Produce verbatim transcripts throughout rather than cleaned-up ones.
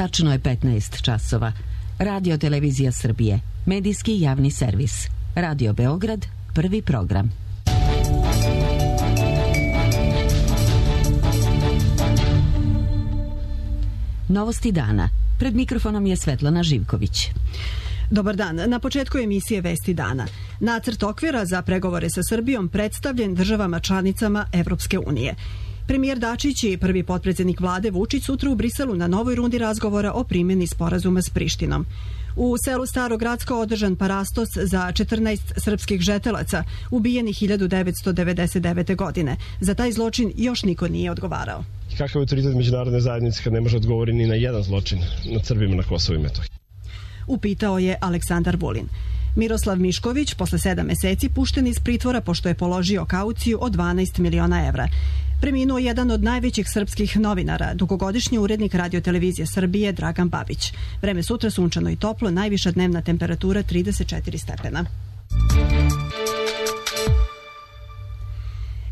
Tačno je petnaest časova. Radio Televizija Srbije, medijski javni servis. Radio Beograd, prvi program. Novosti dana. Pred mikrofonom je Svetlana Živković. Dobar dan. Na početku emisije Vesti dana. Nacrt okvira za pregovore sa Srbijom predstavljen državama članicama Evropske unije. Premijer Dačić i prvi potpredsjednik vlade Vučić sutra u Briselu na novoj rundi razgovora o primjeni sporazuma s Prištinom. U selu Starogradsko održan parastos za četrnaest srpskih žetelaca ubijenih hiljadu devetsto devedeset devete. godine. Za taj zločin još niko nije odgovarao. Kakav je autoritet međunarodne zajednice kad ne može odgovoriti ni na jedan zločin nad Srbima na Kosovu i Metohiji? Upitao je Aleksandar Vulin. Miroslav Mišković posle sedam meseci pušten iz pritvora pošto je položio kauciju od dvanaest miliona evra. Preminuo jedan od najvećih srpskih novinara, dugogodišnji urednik Radio-televizije Srbije Dragan Babić. Vreme sutra sunčano i toplo, najviša dnevna temperatura trideset četiri stepena.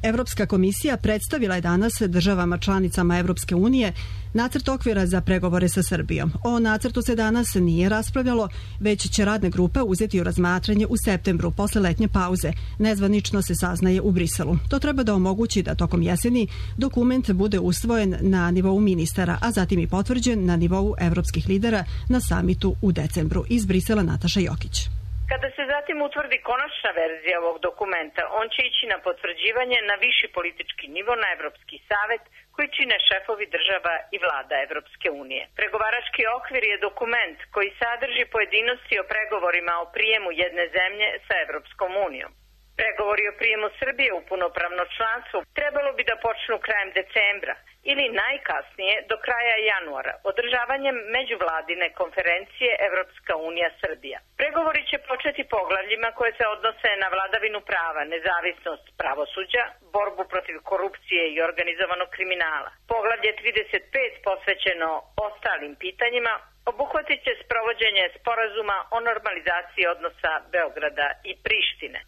Evropska komisija predstavila je danas državama članicama Evropske unije nacrt okvira za pregovore sa Srbijom. O nacrtu se danas nije raspravljalo, već će radna grupa uzeti u razmatranje u septembru posle letnje pauze. Nezvanično se saznaje u Briselu. To treba da omogući da tokom jeseni dokument bude usvojen na nivou ministara, a zatim i potvrđen na nivou evropskih lidera na samitu u decembru. Iz Brisela Nataša Jokić. Kada se zatim utvrdi konačna verzija ovog dokumenta, on će ići na potvrđivanje na viši politički nivo na Evropski savet koji čine šefovi država i vlada Evropske unije. Pregovarački okvir je dokument koji sadrži pojedinosti o pregovorima o prijemu jedne zemlje sa Evropskom unijom. Pregovori o prijemu Srbije u punopravno članstvo trebalo bi da počnu krajem decembra ili najkasnije do kraja januara, održavanjem međuvladine konferencije Evropska unija Srbija. Pregovori će početi poglavljima koje se odnose na vladavinu prava, nezavisnost pravosuđa, borbu protiv korupcije i organizovanog kriminala. Poglavlje trideset pet posvećeno ostalim pitanjima obuhvatit će sprovođenje sporazuma o normalizaciji odnosa Beograda i Prištine.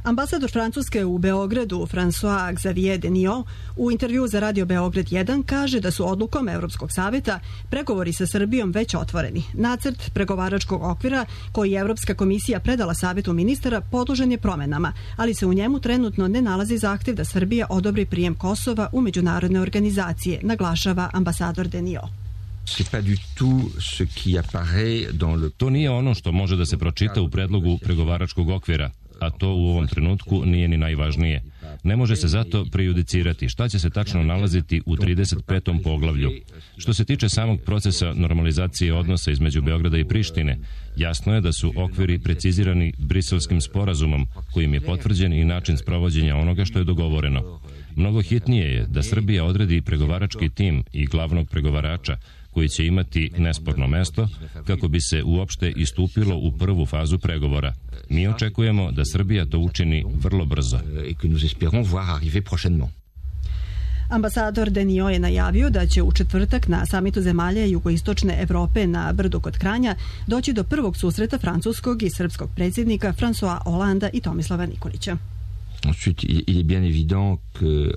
Ambasador Francuske u Beogradu, François Xavier Deniot, u intervju za Radio Beograd jedan kaže da su odlukom Evropskog saveta pregovori sa Srbijom već otvoreni. Nacrt pregovaračkog okvira koji je Evropska komisija predala Savetu ministara podložen je promenama, ali se u njemu trenutno ne nalazi zahtev da Srbija odobri prijem Kosova u međunarodne organizacije, naglašava ambasador Deniot. To nije ono što može da se pročita u predlogu pregovaračkog okvira, a to u ovom trenutku nije ni najvažnije. Ne može se zato prejudicirati šta će se tačno nalaziti u trideset petom poglavlju. Što se tiče samog procesa normalizacije odnosa između Beograda i Prištine, jasno je da su okviri precizirani Briselskim sporazumom, kojim je potvrđen i način sprovođenja onoga što je dogovoreno. Mnogo hitnije je da Srbija odredi pregovarački tim i glavnog pregovarača, koji će imati nesporno mesto kako bi se uopšte istupilo u prvu fazu pregovora. Mi očekujemo da Srbija to učini vrlo brzo. Ambasador Deniot je najavio da će u četvrtak na samitu zemalja jugoistočne Evrope na Brdu kod Kranja doći do prvog susreta francuskog i srpskog predsjednika François Hollanda i Tomislava Nikolića. Ensuite, il est bien évident que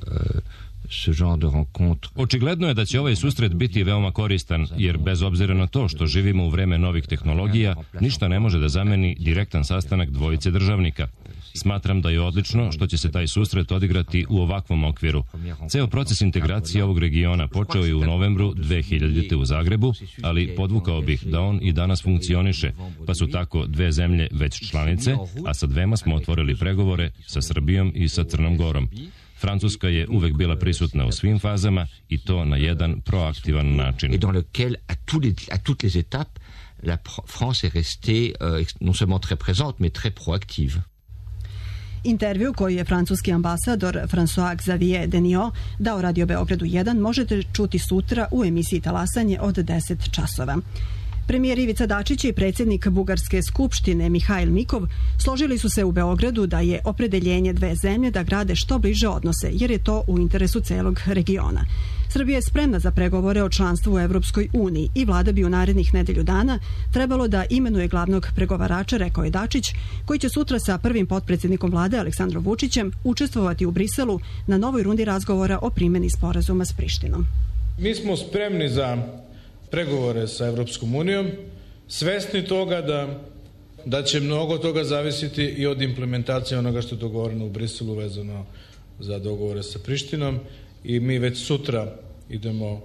Očigledno je da će ovaj susret biti veoma koristan, jer bez obzira na to što živimo u vreme novih tehnologija, ništa ne može da zameni direktan sastanak dvojice državnika. Smatram da je odlično što će se taj susret odigrati u ovakvom okviru. Ceo proces integracije ovog regiona počeo je u novembru dve hiljadite. u Zagrebu, ali podvukao bih da on i danas funkcioniše, pa su tako dve zemlje već članice, a sa dvema smo otvorili pregovore sa Srbijom i sa Crnom Gorom. Francuska je uvek bila prisutna u svim fazama i to na jedan proaktivan način. Et dans lequel à tous les à toutes les étapes la France est restée euh, non seulement très présente mais très proactive. Intervju koji je francuski ambasador François Xavier Deniot dao Radio Beogradu jedan možete čuti sutra u emisiji Talasanje od deset časova. Premijer Ivica Dačić i predsjednik Bugarske skupštine Mihail Mikov složili su se u Beogradu da je opredeljenje dve zemlje da grade što bliže odnose, jer je to u interesu celog regiona. Srbija je spremna za pregovore o članstvu u Evropskoj uniji i vlada bi u narednih nedelju dana trebalo da imenuje glavnog pregovarača, rekao je Dačić, koji će sutra sa prvim potpredsjednikom vlade Aleksandrom Vučićem učestvovati u Briselu na novoj rundi razgovora o primjeni sporazuma s Prištinom. Mi smo spremni za pregovore sa Evropskom unijom, svesni toga da, da će mnogo toga zavisiti i od implementacije onoga što je dogovoreno u Briselu vezano za dogovore sa Prištinom i mi već sutra idemo,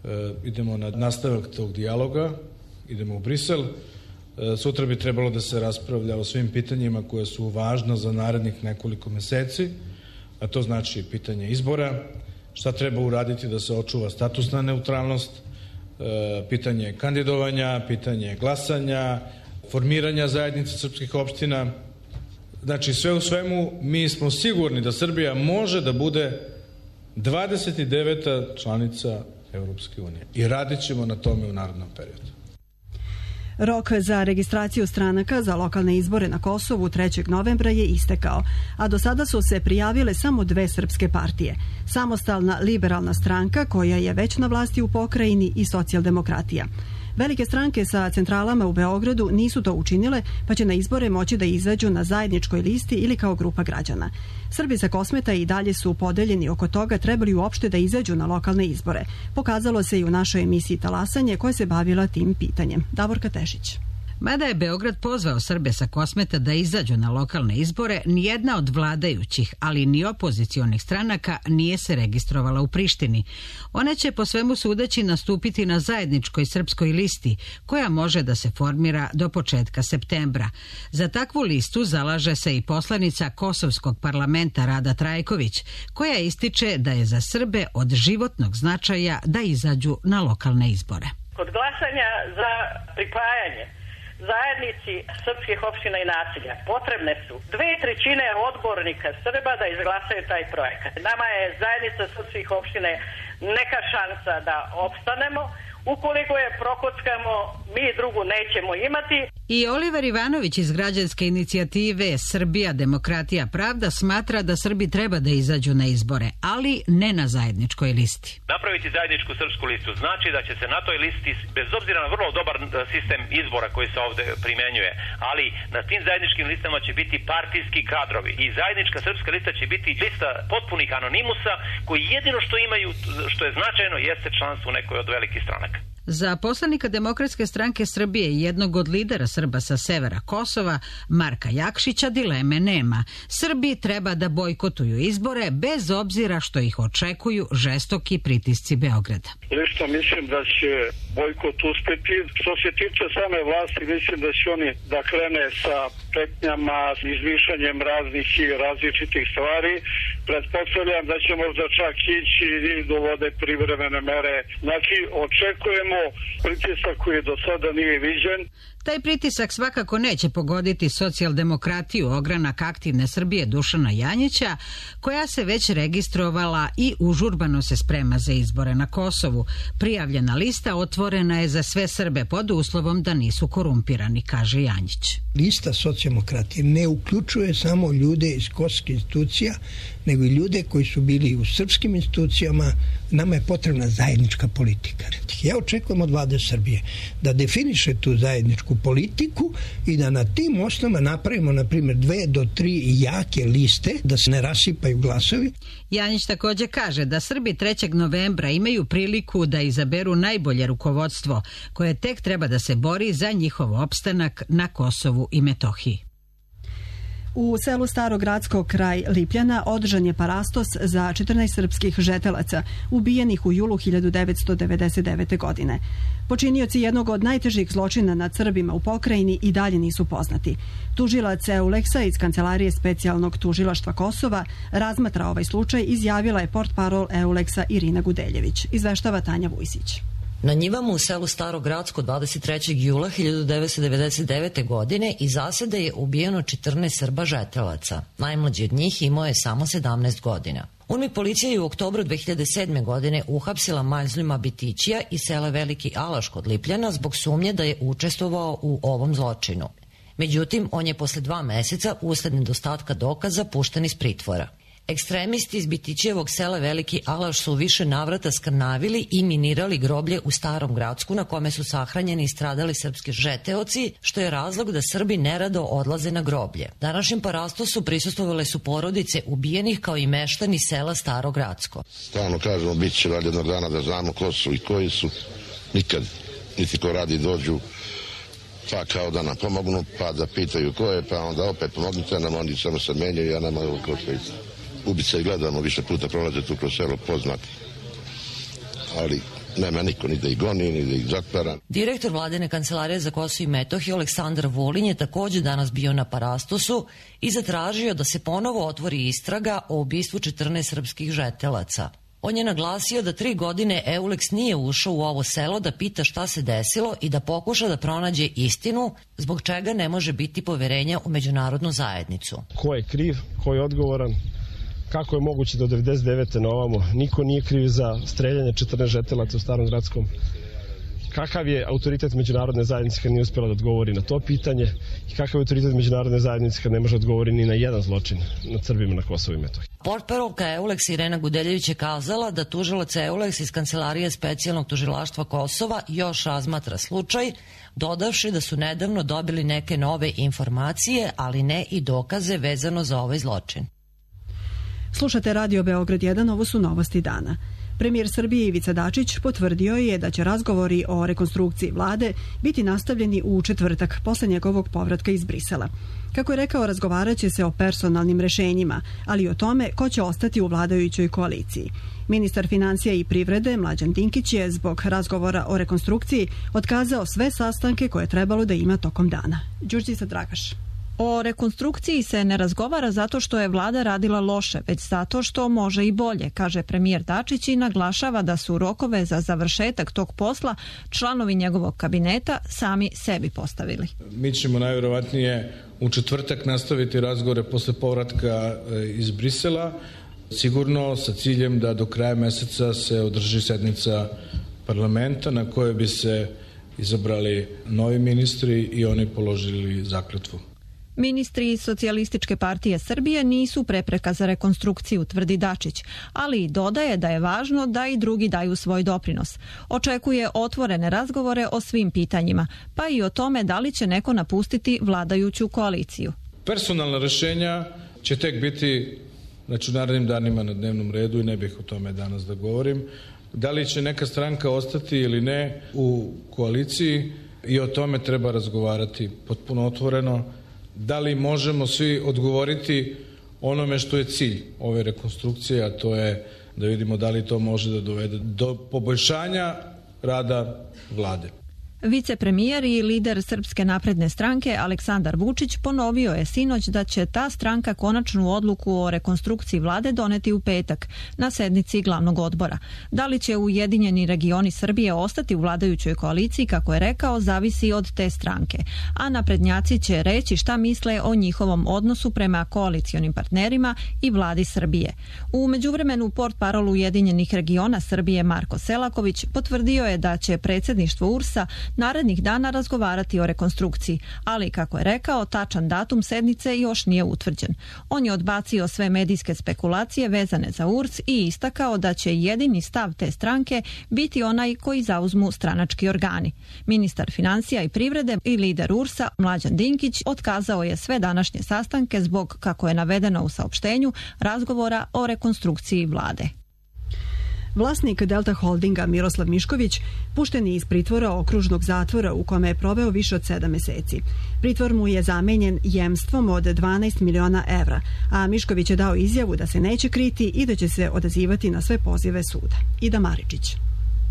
e, idemo na nastavak tog dijaloga, idemo u Brisel. E, sutra bi trebalo da se raspravlja o svim pitanjima koje su važna za narednih nekoliko meseci, a to znači pitanje izbora, šta treba uraditi da se očuva statusna neutralnost, e, pitanje kandidovanja, pitanje glasanja, formiranja zajednice srpskih opština. Znači, sve u svemu, mi smo sigurni da Srbija može da bude dvadeset deveta članica Evropske unije i radit ćemo na tome u narednom periodu. Rok za registraciju stranaka za lokalne izbore na Kosovu trećeg novembra je istekao, a do sada su se prijavile samo dve srpske partije. Samostalna liberalna stranka, koja je već na vlasti u pokrajini, i Socijaldemokratija. Velike stranke sa centralama u Beogradu nisu to učinile, pa će na izbore moći da izađu na zajedničkoj listi ili kao grupa građana. Srbi sa Kosmeta i dalje su podeljeni oko toga trebali uopšte da izađu na lokalne izbore. Pokazalo se i u našoj emisiji Talasanje, koja se bavila tim pitanjem. Davorka Tešić. Mada je Beograd pozvao Srbe sa Kosmeta da izađu na lokalne izbore, nijedna od vladajućih, ali ni opozicionih stranaka nije se registrovala u Prištini. Ona će po svemu sudeći nastupiti na zajedničkoj srpskoj listi, koja može da se formira do početka septembra. Za takvu listu zalaže se i poslanica Kosovskog parlamenta Rada Trajković, koja ističe da je za Srbe od životnog značaja da izađu na lokalne izbore. Kod glasanja za pripajanje zajednici srpskih opština i naselja potrebne su dve trećine odbornika Srba da izglasaju taj projekat. Nama je zajednica srpskih opština neka šansa da opstanemo. Ukoliko je prokockamo, mi drugu nećemo imati. I Oliver Ivanović iz građanske inicijative Srbija, demokratija, pravda smatra da Srbi treba da izađu na izbore, ali ne na zajedničkoj listi. Napraviti zajedničku srpsku listu znači da će se na toj listi, bez obzira na vrlo dobar sistem izbora koji se ovde primenjuje, ali na tim zajedničkim listama će biti partijski kadrovi i zajednička srpska lista će biti lista potpunih anonimusa koji jedino što imaju, što je značajno, jeste članstvo u nekoj od velikih stranaka. Za poslanika Demokratske stranke Srbije i jednog od lidera Srba sa severa Kosova, Marka Jakšića, dileme nema. Srbi treba da bojkotuju izbore bez obzira što ih očekuju žestoki pritisci Beograda. Lično mislim da će bojkot uspeti. Što se tiče same vlasti, mislim da će oni da krene sa pretnjama, izmišljanjem raznih i različitih stvari. Pretpostavljam da će možda čak ići i dovode privremene mere. Znači, očekujemo pritisak koji do sada nije viđen. Taj pritisak svakako neće pogoditi socijaldemokratiju, ogranak aktivne Srbije Dušana Janjića, koja se već registrovala i užurbano se sprema za izbore na Kosovu. Prijavljena lista otvorena je za sve Srbe pod uslovom da nisu korumpirani, kaže Janjić. Lista socijaldemokratije ne uključuje samo ljude iz kosovskih institucija, nego i ljude koji su bili u srpskim institucijama. Nama je potrebna zajednička politika. Ja očekujem od vlade Srbije da definiše tu zajedničku politiku i da na tim osnovama napravimo, na primjer, dve do tri jake liste, da se ne rasipaju glasovi. Janjić također kaže da Srbi trećeg novembra imaju priliku da izaberu najbolje rukovodstvo, koje tek treba da se bori za njihov opstanak na Kosovu i Metohiji. U selu Starogradsko kraj Lipljana održan je parastos za četrnaest srpskih žetelaca ubijenih u julu hiljadu devetsto devedeset devete. godine. Počinioci jednog od najtežih zločina nad Srbima u pokrajini i dalje nisu poznati. Tužilac Euleksa iz Kancelarije specijalnog tužilaštva Kosova razmatra ovaj slučaj, izjavila je portparol Euleksa Irina Gudeljević. Izveštava Tanja Vujsić. Na njivama u selu Starogradsko dvadeset trećeg jula hiljadu devetsto devedeset devete. godine iz zasede je ubijeno četrnaest Srba žetelaca. Najmlađi od njih imao je samo sedamnaest godina. UNMI policija je u oktobru dve hiljade sedme. godine uhapsila Majzlima Bitićija iz sela Veliki Alaš kod Lipljana zbog sumnje da je učestvovao u ovom zločinu. Međutim, on je posle dva meseca usled nedostatka dokaza pušten iz pritvora. Ekstremisti iz Bitićijevog sela Veliki Alaš su više navrata skrnavili i minirali groblje u Starom Gradsku na kome su sahranjeni i stradali srpski žeteoci, što je razlog da Srbi nerado odlaze na groblje. Današnjem parastosu prisustvovale su porodice ubijenih kao i meštani sela Staro Gradsko. Stalno kažemo, bit će valjda jednog dana da znamo ko su i koji su. nikad, niti ko radi dođu, pa kao da nam pomognu, pa da pitaju ko je, pa onda opet pomognite nam, oni samo se menjaju, ja nama ovo kroz sve ubice i gledamo, više puta prolaze tu kroz selo poznati, ali nema niko ni da ih goni, ni da ih zatvara. Direktor Vladine kancelarije za Kosovo i Metohiju Aleksandar Vulin je takođe danas bio na Parastosu i zatražio da se ponovo otvori istraga o ubistvu četrnaest srpskih žetelaca. On je naglasio da tri godine Euleks nije ušao u ovo selo da pita šta se desilo i da pokuša da pronađe istinu, zbog čega ne može biti poverenja u međunarodnu zajednicu. Ko je kriv, ko je odgovoran, kako je moguće da od devedeset devete na ovamo niko nije kriv za streljanje četrnaest žetelaca u Starom Gradskom? Kakav je autoritet međunarodne zajednice kad nije uspjela da odgovori na to pitanje i kakav je autoritet međunarodne zajednice kad ne može odgovori ni na jedan zločin nad Srbima na Kosovu i Metohiji? Portparolka Euleks Irena Gudeljević je kazala da tužilac Euleks iz Kancelarije specijalnog tužilaštva Kosova još razmatra slučaj, dodavši da su nedavno dobili neke nove informacije, ali ne i dokaze vezano za ovaj zločin. Slušate Radio Beograd jedan, ovo su novosti dana. Premijer Srbije Ivica Dačić potvrdio je da će razgovori o rekonstrukciji vlade biti nastavljeni u četvrtak posle njegovog povratka iz Brisela. Kako je rekao, razgovarat će se o personalnim rešenjima, ali i o tome ko će ostati u vladajućoj koaliciji. Ministar financija i privrede Mlađan Dinkić je zbog razgovora o rekonstrukciji otkazao sve sastanke koje je trebalo da ima tokom dana. Đurđica Dragaš. O rekonstrukciji se ne razgovara zato što je vlada radila loše, već zato što može i bolje, kaže premijer Dačić i naglašava da su rokove za završetak tog posla članovi njegovog kabineta sami sebi postavili. Mi ćemo najvjerovatnije u četvrtak nastaviti razgovore posle povratka iz Brisela, sigurno sa ciljem da do kraja meseca se održi sednica parlamenta na kojoj bi se izabrali novi ministri i oni položili zakletvu. Ministri iz Socijalističke partije Srbije nisu prepreka za rekonstrukciju, tvrdi Dačić, ali i dodaje da je važno da i drugi daju svoj doprinos. Očekuje otvorene razgovore o svim pitanjima, pa i o tome da li će neko napustiti vladajuću koaliciju. Personalna rešenja će tek biti znači, u narednim danima na dnevnom redu i ne bih o tome danas da govorim. Da li će neka stranka ostati ili ne u koaliciji i o tome treba razgovarati potpuno otvoreno. Da li možemo svi odgovoriti onome što je cilj ove rekonstrukcije, a to je da vidimo da li to može da dovede do poboljšanja rada vlade. Vicepremijer i lider Srpske napredne stranke Aleksandar Vučić ponovio je sinoć da će ta stranka konačnu odluku o rekonstrukciji vlade doneti u petak na sednici glavnog odbora. Da li će Ujedinjeni regioni Srbije ostati u vladajućoj koaliciji, kako je rekao, zavisi od te stranke, a naprednjaci će reći šta misle o njihovom odnosu prema koalicionim partnerima i vladi Srbije. U međuvremenu portparol Ujedinjenih regiona Srbije Marko Selaković potvrdio je da će predsjedništvo U R S-a narednih dana razgovarati o rekonstrukciji, ali, kako je rekao, tačan datum sednice još nije utvrđen. On je odbacio sve medijske spekulacije vezane za U R S i istakao da će jedini stav te stranke biti onaj koji zauzmu stranački organi. Ministar financija i privrede i lider U R S-a Mlađan Dinkić otkazao je sve današnje sastanke zbog, kako je navedeno u saopštenju, razgovora o rekonstrukciji vlade. Vlasnik Delta Holdinga Miroslav Mišković pušten je iz pritvora okružnog zatvora u kome je proveo više od sedam meseci. Pritvor mu je zamenjen jemstvom od dvanaest miliona evra, a Mišković je dao izjavu da se neće kriti i da će se odazivati na sve pozive suda. Ida Maričić.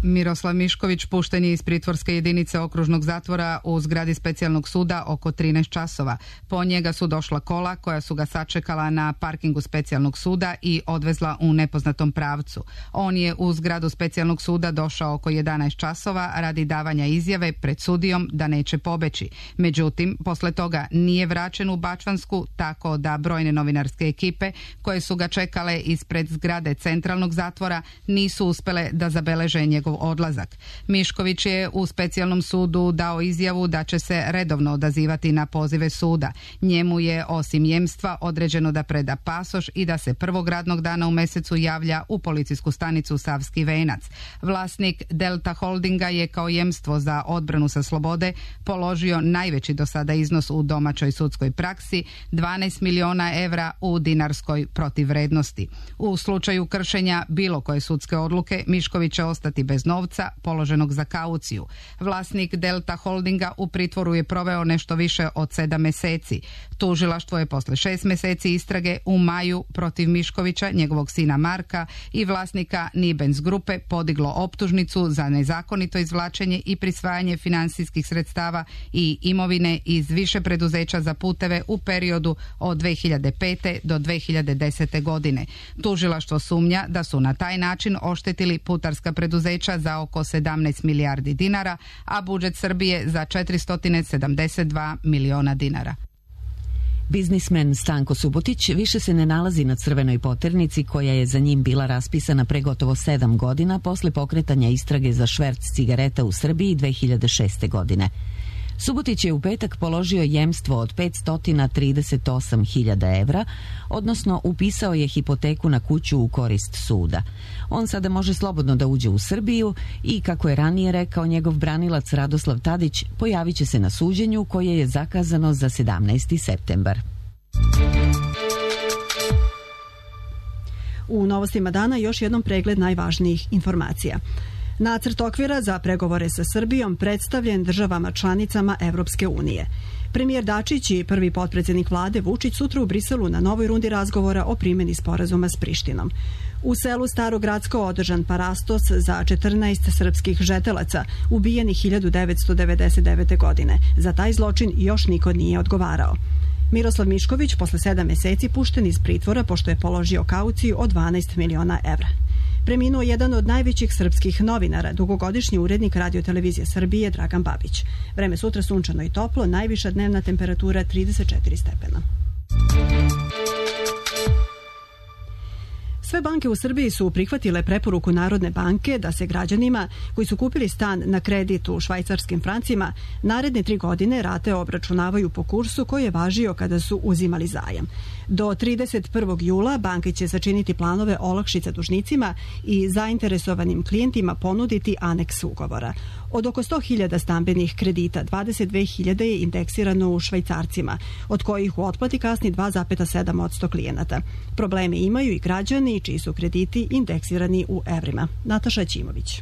Miroslav Mišković pušten je iz pritvorske jedinice okružnog zatvora u zgradi specijalnog suda oko trinaest časova. Po njega su došla kola koja su ga sačekala na parkingu specijalnog suda i odvezla u nepoznatom pravcu. On je u zgradu specijalnog suda došao oko jedanaest časova radi davanja izjave pred sudijom da neće pobeći. Međutim, posle toga nije vraćen u Bačvansku, tako da brojne novinarske ekipe koje su ga čekale ispred zgrade centralnog zatvora nisu uspele da zabeleže njegov odlazak. Mišković je u specijalnom sudu dao izjavu da će se redovno odazivati na pozive suda. Njemu je osim jemstva određeno da preda pasoš i da se prvog radnog dana u mesecu javlja u policijsku stanicu Savski Venac. Vlasnik Delta Holdinga je kao jemstvo za odbranu sa slobode položio najveći do sada iznos u domaćoj sudskoj praksi, dvanaest miliona evra u dinarskoj protivvrednosti. U slučaju kršenja bilo koje sudske odluke, Mišković će ostati bez bez novca položenog za kauciju. Vlasnik Delta Holdinga u pritvoru je proveo nešto više od sedam meseci. Tužilaštvo je posle šest meseci istrage u maju protiv Miškovića, njegovog sina Marka i vlasnika Nibens grupe podiglo optužnicu za nezakonito izvlačenje i prisvajanje finansijskih sredstava i imovine iz više preduzeća za puteve u periodu od dve hiljade pete do dve hiljade desete godine. Tužilaštvo sumnja da su na taj način oštetili putarska preduzeća za oko sedamnaest milijardi dinara, a budžet Srbije za četiristo sedamdeset dva miliona dinara. Biznismen Stanko Subotić više se ne nalazi na crvenoj poternici koja je za njim bila raspisana pre gotovo sedam godina posle pokretanja istrage za šverc cigareta u Srbiji dve hiljade šeste. godine. Subotić je u petak položio jemstvo od petsto trideset osam hiljada evra, odnosno upisao je hipoteku na kuću u korist suda. On sada može slobodno da uđe u Srbiju i, kako je ranije rekao njegov branilac Radoslav Tadić, pojavit će se na suđenju koje je zakazano za sedamnaesti septembar. U novostima dana još jednom pregled najvažnijih informacija. Nacrt okvira za pregovore sa Srbijom predstavljen državama članicama Evropske unije. Premijer Dačić i prvi potpredsjednik vlade Vučić sutra u Briselu na novoj rundi razgovora o primjeni sporazuma s Prištinom. U selu Starogradsko održan parastos za četrnaest srpskih žetelaca ubijenih hiljadu devetsto devedeset devete. godine. Za taj zločin još niko nije odgovarao. Miroslav Mišković posle sedam meseci pušten iz pritvora pošto je položio kauciju od dvanaest miliona evra. Preminuo jedan od najvećih srpskih novinara, dugogodišnji urednik Radio-televizije Srbije Dragan Babić. Vreme sutra sunčano i toplo, najviša dnevna temperatura trideset četiri stepena. Sve banke u Srbiji su prihvatile preporuku Narodne banke da se građanima koji su kupili stan na kredit u švajcarskim francima naredne tri godine rate obračunavaju po kursu koji je važio kada su uzimali zajam. Do trideset prvog jula banke će sačiniti planove olakšica dužnicima i zainteresovanim klijentima ponuditi aneks ugovora. Od oko sto hiljada stambenih kredita, dvadeset dve hiljade je indeksirano u švajcarcima, od kojih u otplati kasni dva zarez sedam posto klijenata. Probleme imaju i građani čiji su krediti indeksirani u evrima. Nataša Ćimović.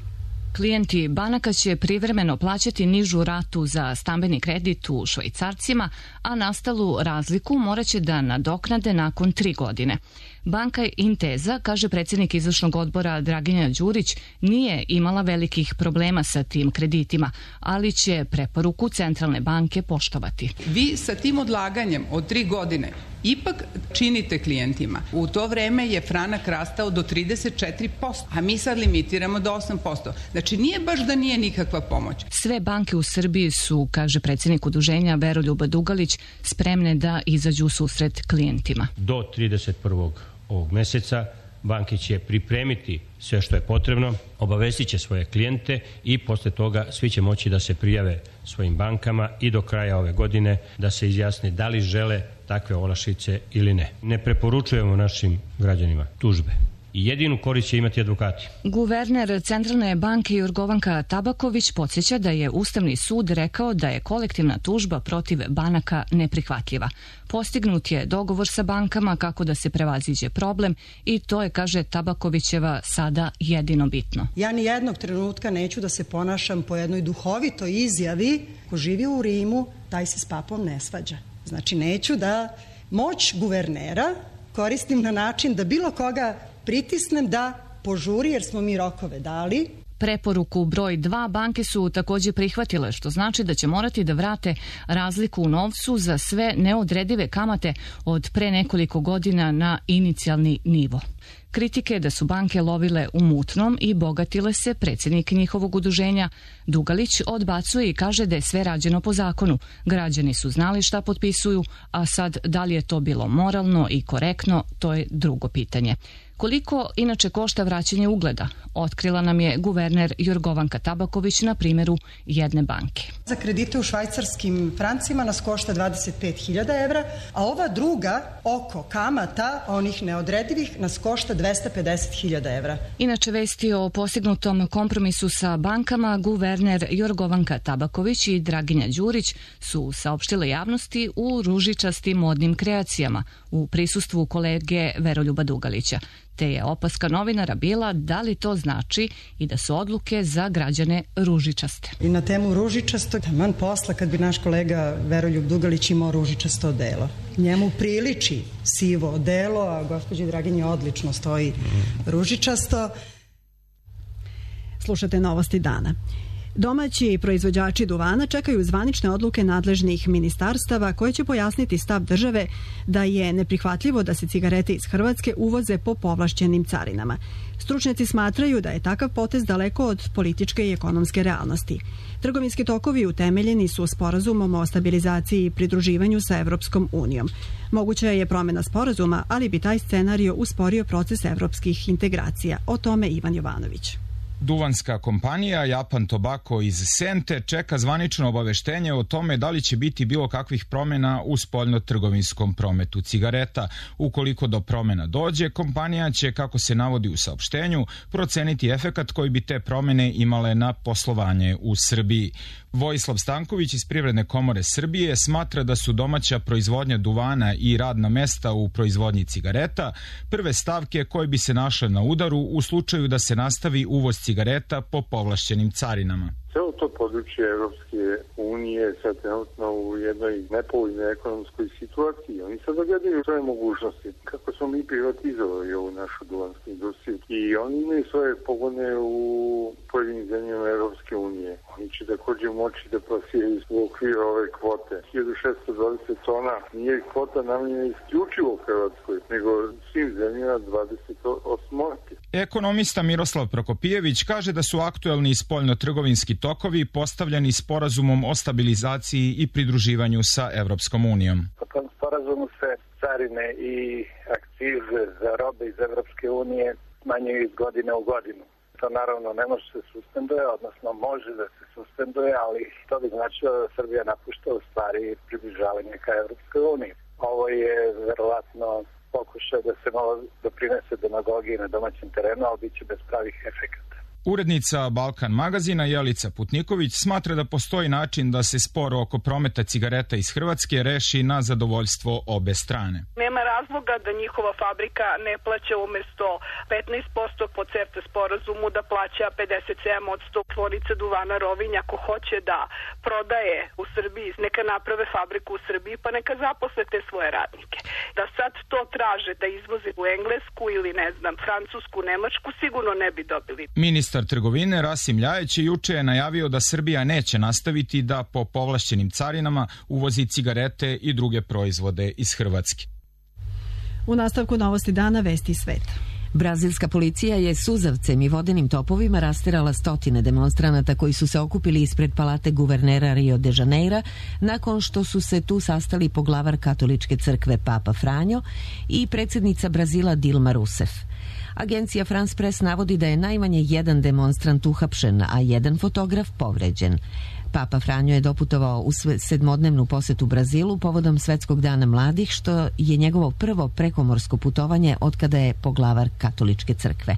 Klijenti banaka će privremeno plaćati nižu ratu za stambeni kredit u švajcarcima, a nastalu razliku moraće da nadoknade nakon tri godine. Banka Inteza, kaže predsjednik izvršnog odbora Draginja Đurić, nije imala velikih problema sa tim kreditima, ali će preporuku Centralne banke poštovati. Vi sa tim odlaganjem od tri godine ipak činite klijentima. U to vreme je franak rastao do trideset četiri posto, a mi sad limitiramo do osam posto. Znači nije baš da nije nikakva pomoć. Sve banke u Srbiji su, kaže predsjednik udruženja Veroljub Dugalić, spremne da izađu u susret klijentima. Do trideset prvog ovog meseca banke će pripremiti sve što je potrebno, obavestit će svoje klijente i posle toga svi će moći da se prijave svojim bankama i do kraja ove godine da se izjasne da li žele takve olakšice ili ne. Ne preporučujemo našim građanima tužbe. I jedinu korist će imati advokati. Guverner Centralne banke Jorgovanka Tabaković podsjeća da je Ustavni sud rekao da je kolektivna tužba protiv banaka neprihvatljiva. Postignut je dogovor sa bankama kako da se prevaziđe problem i to je, kaže Tabakovićeva, sada jedino bitno. Ja ni jednog trenutka neću da se ponašam po jednoj duhovitoj izjavi ko živi u Rimu, taj se s papom ne svađa. Znači neću da moć guvernera koristim na način da bilo koga pritisnem da požuri jer smo mi rokove dali. Preporuku broj dva banke su također prihvatile, što znači da će morati da vrate razliku u novcu za sve neodredive kamate od pre nekoliko godina na inicijalni nivo. Kritike da su banke lovile u mutnom i bogatile se, predsjednik njihovog udruženja Dugalić odbacuje i kaže da je sve rađeno po zakonu. Građani su znali šta potpisuju, a sad da li je to bilo moralno i korektno, to je drugo pitanje. Koliko inače košta vraćanje ugleda, otkrila nam je guverner Jorgovanka Tabaković na primjeru jedne banke. Za kredite u švajcarskim francima nas košta dvadeset pet hiljada evra, a ova druga oko kamata, onih neodredivih, nas košta dvesta pedeset hiljada evra. Inače vesti o postignutom kompromisu sa bankama guverner Jorgovanka Tabaković i Draginja Đurić su saopštile javnosti u ružičastim modnim kreacijama u prisustvu kolege Veroljuba Dugalića. te je opaska novinara bila da li to znači i da su odluke za građane ružičaste. I na temu ružičasto, taman posla kad bi naš kolega Veroljub Dugalić imao ružičasto odelo. Njemu priliči sivo odelo, a gospođi Draginji odlično stoji ružičasto. Slušate Novosti dana. Domaći proizvođači duvana čekaju zvanične odluke nadležnih ministarstava koje će pojasniti stav države da je neprihvatljivo da se cigarete iz Hrvatske uvoze po povlašćenim carinama. Stručnjaci smatraju da je takav potez daleko od političke i ekonomske realnosti. Trgovinski tokovi utemeljeni su sporazumom o stabilizaciji i pridruživanju sa Evropskom unijom. Moguća je promjena sporazuma, ali bi taj scenario usporio proces evropskih integracija. O tome Ivan Jovanović. Duvanska kompanija Japan Tobacco iz Sente čeka zvanično obaveštenje o tome da li će biti bilo kakvih promjena u spoljno-trgovinskom prometu cigareta. Ukoliko do promjena dođe, kompanija će, kako se navodi u saopštenju, proceniti efekat koji bi te promjene imale na poslovanje u Srbiji. Vojislav Stanković iz Privredne komore Srbije smatra da su domaća proizvodnja duvana i radna mesta u proizvodnji cigareta prve stavke koje bi se našle na udaru u slučaju da se nastavi uvoz cigareta po povlašćenim carinama. Celo to područje Evropske unije je sad trenutno u jednoj nepovoljnoj ekonomskoj situaciji. Oni sad gledaju svoje mogućnosti. Kako smo mi privatizovali ovu našu duvansku industriju i oni imaju svoje pogone u pojedinim zemljama Evropske unije. Oni će također moći da plasiraju u okviru ove kvote. hiljadu šessto dvadeset tona nije kvota namenjena isključivo Hrvatskoj, nego svim zemljama dvadeset osam. Ekonomista Miroslav Prokopijević kaže da su aktuelni spoljno-trgovinski tokovi postavljeni sporazumom o stabilizaciji i pridruživanju sa Evropskom unijom. Po tom sporazumu se carine i akcize za robe iz Evropske unije smanjuju iz godine u godinu. To naravno ne može se suspenduje, odnosno može da se suspenduje, ali to bi značilo da Srbija napušta u stvari približavanje ka Evropskoj uniji. Ovo je verovatno pokušaj da se malo doprinese demagogiji na domaćem terenu, ali bit će bez pravih efekata. Urednica Balkan magazina Jelica Putniković smatra da postoji način da se spor oko prometa cigareta iz Hrvatske reši na zadovoljstvo obe strane. Nema razloga da njihova fabrika ne plaća umjesto petnaest posto po CEFTA sporazumu da plaća pedeset sedam posto. Tvornica duvana Rovinj ako hoće da prodaje u Srbiji, neka naprave fabriku u Srbiji pa neka zaposle te svoje radnike. Da sad to traže da izvoze u Englesku ili ne znam Francusku, Nemačku sigurno ne bi dobili. Ministar trgovine Rasim Ljajić juče je najavio da Srbija neće nastaviti da po povlašćenim carinama uvozi cigarete i druge proizvode iz Hrvatske. U nastavku Novosti dana vesti sveta. Brazilska policija je suzavcem i vodenim topovima rasterala stotine demonstranata koji su se okupili ispred palate guvernera Rio de Janeira nakon što su se tu sastali poglavar katoličke crkve Papa Franjo i predsjednica Brazila Dilma Rousseff. Agencija France Press navodi da je najmanje jedan demonstrant uhapšen, a jedan fotograf povređen. Papa Franjo je doputovao u sedmodnevnu posetu Brazilu povodom Svetskog dana mladih, što je njegovo prvo prekomorsko putovanje otkada je poglavar katoličke crkve.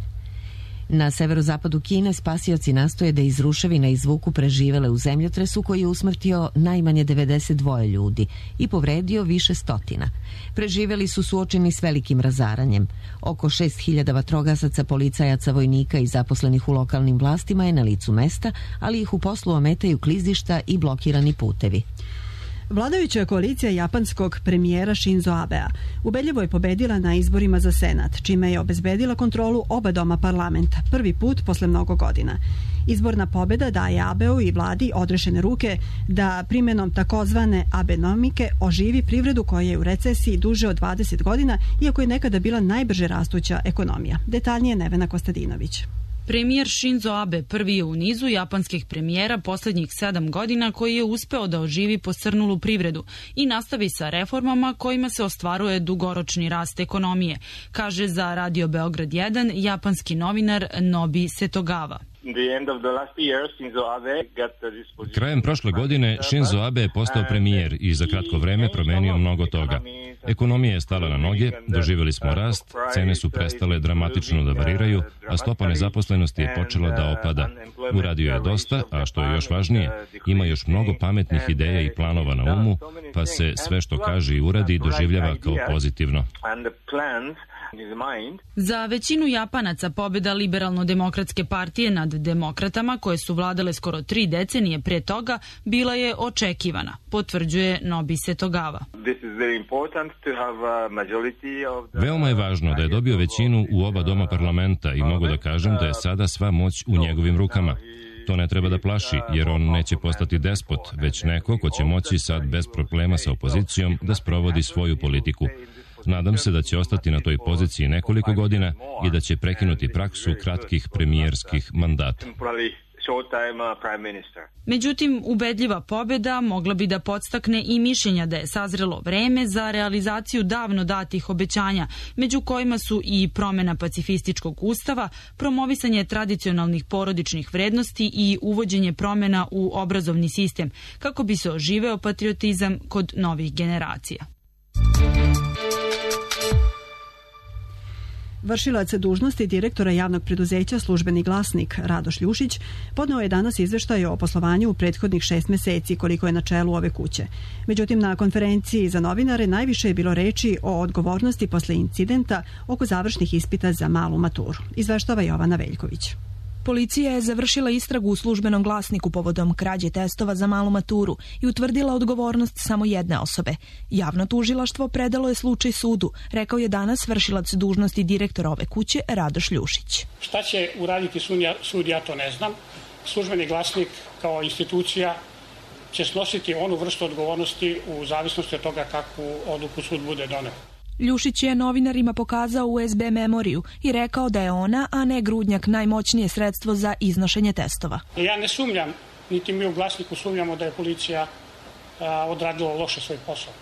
Na severozapadu Kine spasioci nastoje da iz ruševina izvuku preživele u zemljotresu koji je usmrtio najmanje devedeset dva ljudi i povredio više stotina. Preživeli su suočeni s velikim razaranjem. Oko šest hiljada vatrogasaca, policajaca, vojnika i zaposlenih u lokalnim vlastima je na licu mesta, ali ih u poslu ometaju klizišta i blokirani putevi. Vladajuća koalicija japanskog premijera Shinzo Abea ubedljivo je pobedila na izborima za Senat, čime je obezbedila kontrolu oba doma parlamenta, prvi put posle mnogo godina. Izborna pobeda daje Abeu i vladi odrešene ruke da primjenom takozvane abenomike oživi privredu koja je u recesiji duže od dvadeset godina, iako je nekada bila najbrže rastuća ekonomija. Detaljnije Nevena Kostadinović. Premijer Shinzo Abe prvi je u nizu japanskih premijera posljednjih sedam godina koji je uspeo da oživi posrnulu privredu i nastavi sa reformama kojima se ostvaruje dugoročni rast ekonomije, kaže za Radio Beograd jedan japanski novinar Nobi Setogawa. Krajem prošle godine Shinzo Abe je postao premijer i za kratko vreme promenio mnogo toga. Ekonomija je stala na noge, doživjeli smo rast, cene su prestale dramatično da variraju, a stopa nezaposlenosti je počela da opada. Uradio je dosta, a što je još važnije, ima još mnogo pametnih ideja i planova na umu, pa se sve što kaže i uradi doživljava kao pozitivno. Za većinu Japanaca pobjeda liberalno-demokratske partije nad demokratama, koje su vladale skoro tri decenije pre toga, bila je očekivana, potvrđuje Nobise Togawa. Veoma je važno da je dobio većinu u oba doma parlamenta i mogu da kažem da je sada sva moć u njegovim rukama. To ne treba da plaši, jer on neće postati despot, već neko ko će moći sad bez problema sa opozicijom da sprovodi svoju politiku. Nadam se da će ostati na toj poziciji nekoliko godina i da će prekinuti praksu kratkih premijerskih mandata. Međutim, ubedljiva pobjeda mogla bi da podstakne i mišljenja da je sazrelo vreme za realizaciju davno datih obećanja, među kojima su i promjena pacifističkog ustava, promovisanje tradicionalnih porodičnih vrednosti i uvođenje promjena u obrazovni sistem, kako bi se oživeo patriotizam kod novih generacija. Vršilac dužnosti direktora javnog preduzeća Službeni glasnik Radoš Ljušić podneo je danas izveštaj o poslovanju u prethodnih šest meseci koliko je na čelu ove kuće. Međutim, na konferenciji za novinare najviše je bilo reči o odgovornosti posle incidenta oko završnih ispita za malu maturu. Izveštava Jovana Veljković. Policija je završila istragu u Službenom glasniku povodom krađe testova za malu maturu i utvrdila odgovornost samo jedne osobe. Javno tužilaštvo predalo je slučaj sudu, rekao je danas vršilac dužnosti direktora ove kuće Radoš Ljušić. Šta će uraditi sud, ja to ne znam. Službeni glasnik kao institucija će snositi onu vrstu odgovornosti u zavisnosti od toga kakvu odluku sud bude doneo. Ljušić je novinarima pokazao U S B memoriju i rekao da je ona, a ne Grudnjak, najmoćnije sredstvo za iznošenje testova. Ja ne sumnjam, niti mi u glasniku sumnjamo da je policija a, odradila loše svoj posao.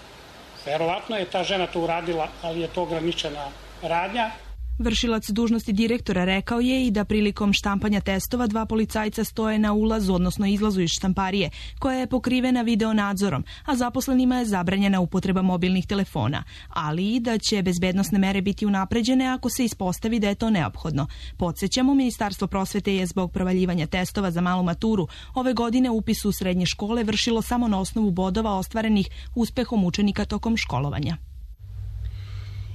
Verovatno je ta žena to uradila, ali je to ograničena radnja. Vršilac dužnosti direktora rekao je i da prilikom štampanja testova dva policajca stoje na ulazu, odnosno izlazu iz štamparije, koja je pokrivena videonadzorom, a zaposlenima je zabranjena upotreba mobilnih telefona, ali i da će bezbednosne mere biti unapređene ako se ispostavi da je to neophodno. Podsjećamo, Ministarstvo prosvete je zbog provaljivanja testova za malu maturu ove godine upis u srednje škole vršilo samo na osnovu bodova ostvarenih uspehom učenika tokom školovanja.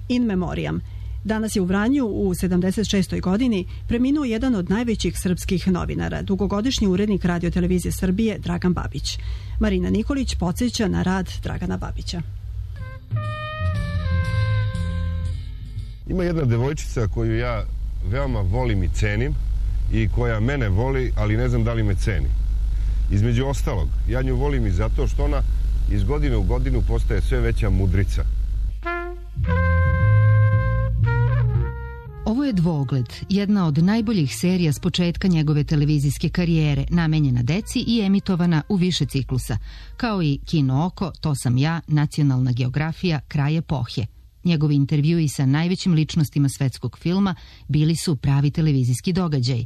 In memoriam. Danas je u Vranju u sedamdeset šestoj godini preminuo jedan od najvećih srpskih novinara, dugogodišnji urednik Radio-televizije Srbije Dragan Babić. Marina Nikolić podsjeća na rad Dragana Babića. Ima jedna devojčica koju ja veoma volim i cenim i koja mene voli, ali ne znam da li me ceni. Između ostalog, ja nju volim i zato što ona iz godine u godinu postaje sve veća mudrica. Ovo je Dvogled, jedna od najboljih serija s početka njegove televizijske karijere, namenjena deci i emitovana u više ciklusa, kao i Kino oko, To sam ja, Nacionalna geografija, Kraj epohe. Njegovi intervjui sa najvećim ličnostima svetskog filma bili su pravi televizijski događaj.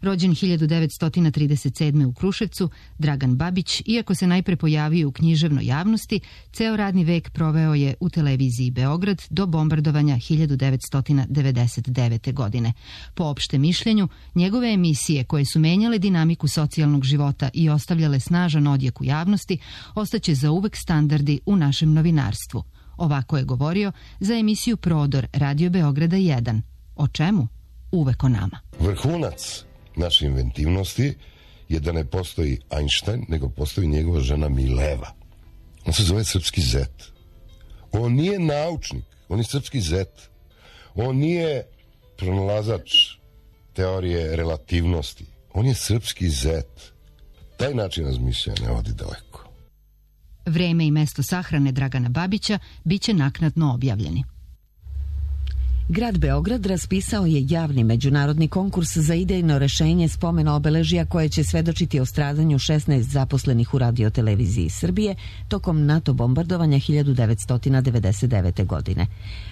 Rođen hiljadu devetsto trideset sedme u Kruševcu, Dragan Babić, iako se najpre pojavio u književnoj javnosti, ceo radni vek proveo je u televiziji Beograd do bombardovanja hiljadu devetsto devedeset devete. godine. Po opštem mišljenju, njegove emisije koje su menjale dinamiku socijalnog života i ostavljale snažan odjek u javnosti, ostaće zauvek standardi u našem novinarstvu. Ovako je govorio za emisiju Prodor Radio Beograda jedan. O čemu? Uvek o nama. Vrhunac naše inventivnosti je da ne postoji Einstein, nego postoji njegova žena Mileva. On se zove srpski zet. On nije naučnik, on je srpski zet. On nije pronalazač teorije relativnosti. On je srpski zet. Taj način razmišljanja ne vodi daleko. Vreme i mesto sahrane Dragana Babića biće naknadno objavljeni. Grad Beograd raspisao je javni međunarodni konkurs za idejno rešenje spomena obeležja koje će svedočiti o stradanju šesnaest zaposlenih u Radio-televiziji Srbije tokom NATO bombardovanja hiljadu devetsto devedeset devete. godine.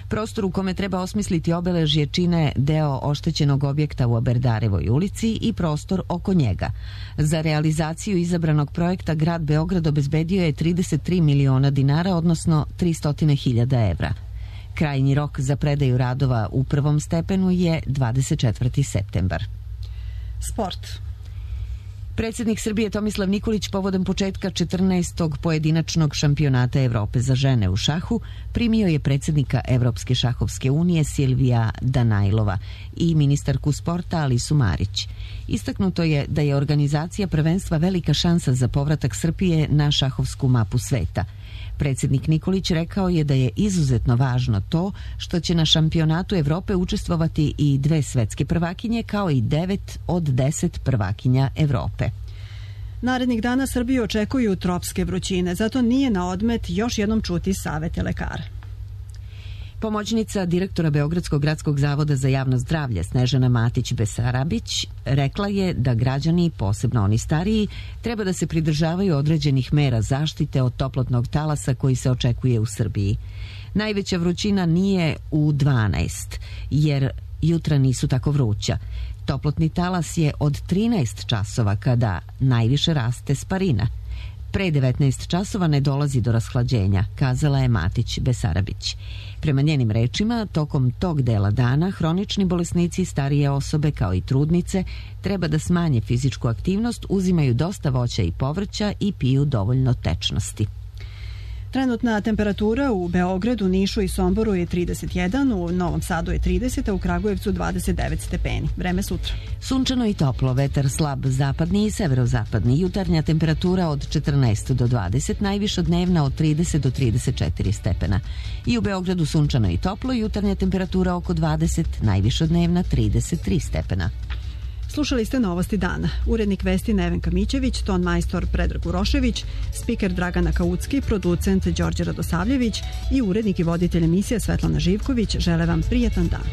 Prostor u kome treba osmisliti obeležje čine deo oštećenog objekta u Aberdarevoj ulici i prostor oko njega. Za realizaciju izabranog projekta Grad Beograd obezbedio je trideset tri miliona dinara, odnosno tristo hiljada evra. Krajnji rok za predaju radova u prvom stepenu je dvadeset četvrti septembar. Sport. Predsjednik Srbije Tomislav Nikolić povodom početka četrnaestog pojedinačnog šampionata Evrope za žene u šahu primio je predsjednika Evropske šahovske unije Silvija Danajlova i ministarku sporta Alisu Marić. Istaknuto je da je organizacija prvenstva velika šansa za povratak Srbije na šahovsku mapu sveta. Predsjednik Nikolić rekao je da je izuzetno važno to što će na šampionatu Evrope učestvovati i dve svetske prvakinje kao i devet od deset prvakinja Evrope. Narednih dana Srbiju očekuju tropske vrućine, zato nije na odmet još jednom čuti savete lekara. Pomoćnica direktora Beogradskog gradskog zavoda za javno zdravlje Snežana Matić-Besarabić rekla je da građani, posebno oni stariji, treba da se pridržavaju određenih mera zaštite od toplotnog talasa koji se očekuje u Srbiji. Najveća vrućina nije u dvanaest, jer jutra nisu tako vruća. Toplotni talas je od trinaest časova kada najviše raste sparina. Pre devetnaest časova ne dolazi do rashlađenja, kazala je Matić-Besarabić. Prema njenim rečima, tokom tog dela dana hronični bolesnici, starije osobe kao i trudnice treba da smanje fizičku aktivnost, uzimaju dosta voća i povrća i piju dovoljno tečnosti. Trenutna temperatura u Beogradu, Nišu i Somboru je trideset jedan, u Novom Sadu je trideset, a u Kragujevcu dvadeset devet stepeni. Vreme sutra. Sunčano i toplo, vetar slab zapadni i severozapadni, jutarnja temperatura od četrnaest do dvadeset, najviša dnevna od trideset do trideset četiri stepena. I u Beogradu sunčano i toplo, jutarnja temperatura oko dvadeset, najviša dnevna trideset tri stepena. Slušali ste Novosti dana. Urednik vesti Nevenka Mićević, ton majstor Predrag Urošević, spiker Dragana Kaucki, producent Đorđe Radosavljević i urednik i voditelj emisije Svetlana Živković žele vam prijatan dan.